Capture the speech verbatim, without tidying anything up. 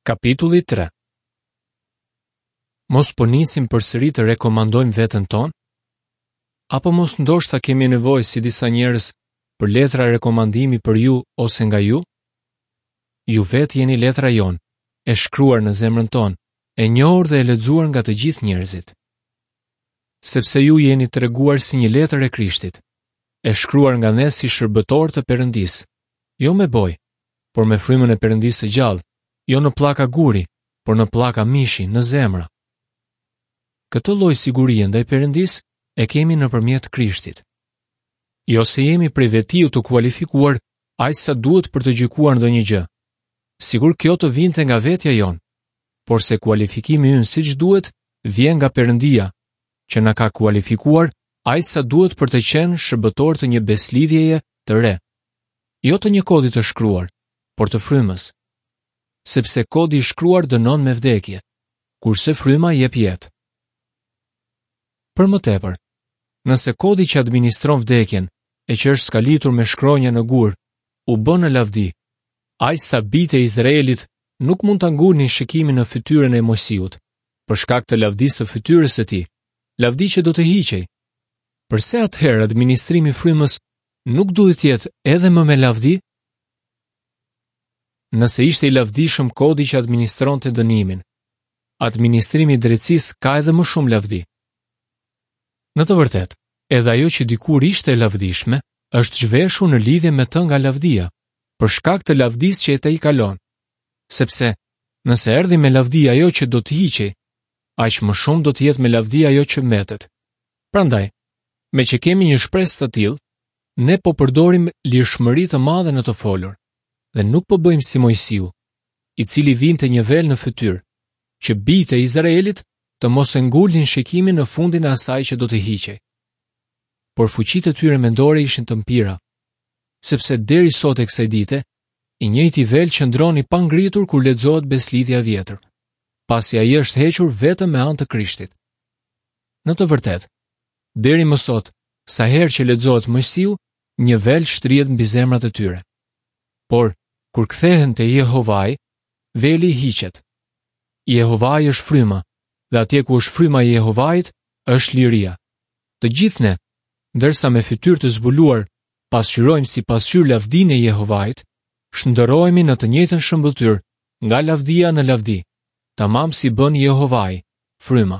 Kapitulli tre. Mos po nisim përsëri të rekomandojmë veten tonë? Apo mos ndoshta kemi nevojë si disa njerëz për letra rekomandimi për ju ose nga ju? Ju vetë jeni letra jonë, e shkruar në zemrën tonë, e njohur dhe e lexuar nga të gjithë njerëzit. Sepse ju jeni treguar si një letër e Krishtit, e shkruar nga ne si shërbëtor të Perëndisë, jo me bojë, por me frymën e Perëndisë së gjallë, jo në pllaka guri, por në pllaka mishi, në zemra. Këtë lloj sigurie ndaj Perëndisë e kemi nëpërmjet Krishtit. Jo se jemi prej vetiu të kualifikuar aq sa duhet për të gjykuar ndonjë gjë, sikur kjo të vinte nga vetja jonë, por se kualifikimi ynë siç duhet vjen nga Perëndia, që na ka kualifikuar aq sa duhet për të qenë shërbëtor të një beslidhjeje të re, jo të një kodi të shkruar, por të frymës. Sepse kodi i shkruar dënon me vdekje, kurse fryma jep jetë. Për më tepër, nëse kodi që administron vdekjen e që është skalitur me shkronja në gur, u bë në lavdi, aq sa bijtë e Izraelit nuk mund ta ngulnin shikimin në fytyrën e Mojsiut, për shkak të lavdisë së fytyrës së tij, lavdi që do të hiqej. Përse atëherë administrimi i frymës nuk duhet të jetë edhe më me lavdi? Nëse ishte i lavdishëm kodi që administronte dënimin, administrimi i drejtësisë ka edhe më shumë lavdi. Në të vërtetë, edhe ajo që dikur ishte e lavdishme, është zhveshur në lidhje me të nga lavdia, për shkak të lavdisë që e te i kalon. Sepse, nëse erdhi me lavdi ajo që do të hiqej, aq më shumë do të jetë me lavdi ajo që mbetet. Prandaj, me që kemi një shpresë të tillë, ne po përdorim lirshmëri të madhe në të folur, dhe nuk po bëjmë si Mojsiu, i cili vinte një vel në fytyrë, që bijtë e Izraelit të mos e ngulnin shikimin në fundin e asaj që do të hiqej. Por fuqitë e tyre mendore ishin të mpira, sepse deri sot e kësaj dite, i njëjti vel qëndron i pangritur kur lexohet beslidhja e vjetër, pasi ai është hequr vetëm me anë të Krishtit. Në të vërtetë, deri më sot, sa herë që lexohet Mojsiu, një vel shtrihet mbi zemrat e tyre. Por, kur kthehen te Jehovai, veli hiqet. Jehovai është fryma, dhe atje ku është fryma e Jehovait, është liria. Të gjithë ne, ndërsa me fytyrë të zbuluar, pasqyrojmë si pasqyrë lavdinë e Jehovait, shndërrohemi në të njëjtën shëmbëlltyrë, nga lavdia në lavdi, tamam si bën Jehovai, fryma.